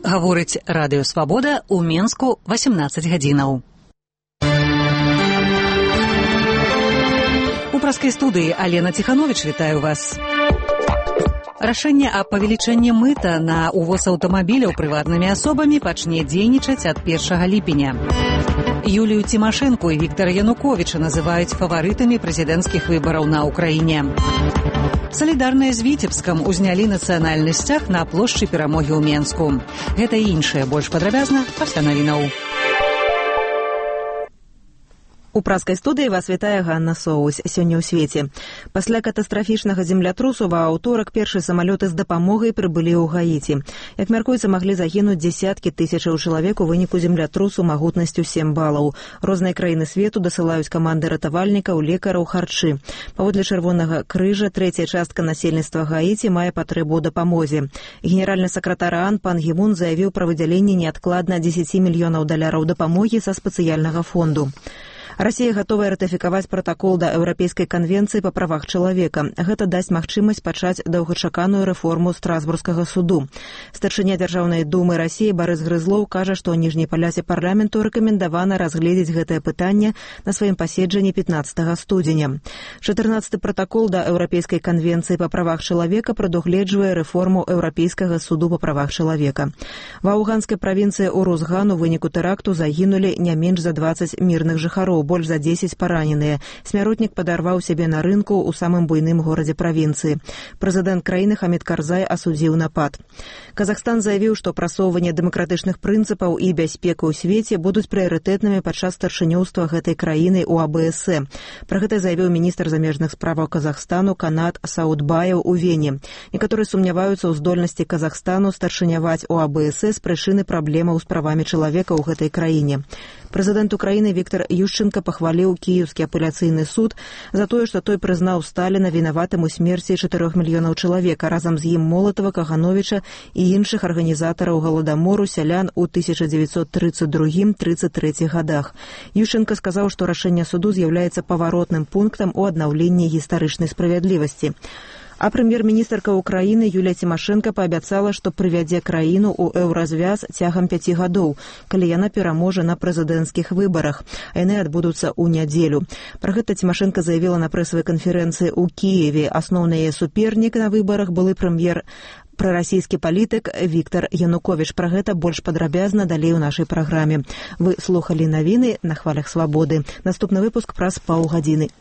Гаворыць радыё «Свабода» ў Менску 18 гадзінаў. У праскай студыі Алена Ціхановіч, вітаю вас. Рашэнне аб павелічэнні мыта на увоз аўтамабіляў прыватнымі асобамі пачне дзейнічаць ад 1 ліпеня. Юлію Цімашэнку і Віктара Януковіча называюць фаварытамі прэзідэнцкіх выбараў на Ўкраіне. Салідарныя з Віцебскам узнялі нацыянальны сцяг на плошчы Перамогі ў Менску. Гэта і іншае больш падрабязна пасля навінаў. У праскай студыі вас вітае Ганна Соус. Сёння ў свеце. Пасля катастрафічнага землятрусу ва аўторак першыя самалёты з дапамогай прыбылі ў Гаіці. Як мяркуецца, маглі загінуць дзесяткі тысячаў чалавек у выніку землятрусу магутнасцю 7 балаў. Розныя краіны свету дасылаюць каманды ратавальнікаў, лекараў, харчы. Паводле Чырвонага крыжа, трэцяя частка насельніцтва Гаіці мае патрэбу ў дапамозе. Генеральны сакратар ААН Пан Гі Мун заявіў пра выдзяленне неадкладна $10 мільёнаў дапамогі са спецыяльнага фонду. Расія гатовая ратыфікаваць пратакол да Еўрапейскай канвенцыі па правах чалавека. Гэта дасць магчымасць пачаць доўгачаканую рэформу Страсбургскага суду. Старшыня Дзяржаўнай думы Расіі Барыс Грызлоў кажа, што ніжняй палясе парламенту рэкамендавана разгледзець гэтае пытанне на сваім паседжанні 15 студзеня. 14-й пратакол да Еўрапейскай канвенцыі па правах чалавека прадугледжвае рэформу Еўрапейскага суду па правах чалавека. Ва афганскай правінцыі Урузган у выніку тэракту загінулі не менш за 20 мірных жыхароў, больш за 10 параненыя. Смяротнік падарваў сябе на рынку ў самым буйным горадзе правінцыі. Прэзідэнт краіны Хамід Карзай асудзіў напад. Казахстан заявіў, што прасоўванне дэмакратычных прынцыпаў і бяспека ў свеце будуць прыярытэтнымі падчас старшынёўства гэтай краіны ў АБС. Пра гэта заявіў міністр замежных справаў Казахстану Канат Саудбаев у Вене. Некаторыя сумняваюцца ў здольнасці Казахстану старшыняваць у АБС з прычыны праблемаў з правамі чалавека ў гэтай краіне. Прэзідэнт Украіны Віктар Ющэнка пахваліў Кіеўскі апеляцыйны суд за тое, што той прызнаў Сталіна вінаватым у смерці 4 мільёнаў чалавека, разам з ім Молатава, Кагановіча і іншых арганізатараў галадамору сялян у 1932-33 гадах. Ющэнка сказаў, што рашэнне суду з'яўляецца паваротным пунктам у аднаўленні гістарычнай справядлівасці. А прэм'ер-міністрка Украіны Юлія Цімашэнка паабяцала, што прывядзе краіну ў еўразвяз цягам 5 гадоў, калі яна пераможа на прэзідэнцкіх выбарах. А яны адбудуцца ў нядзелю. Пра гэта Цімашэнка заявіла на прэсавай канферэнцыі ў Кіеве. Асноўны яе супернік на выбарах былы прарасійскі палітык Віктар Януковіч. Пра гэта больш падрабязна далей у нашай праграме. Вы слухалі навіны на хвалях Свабоды. Наступны выпуск праз паўгадзіны.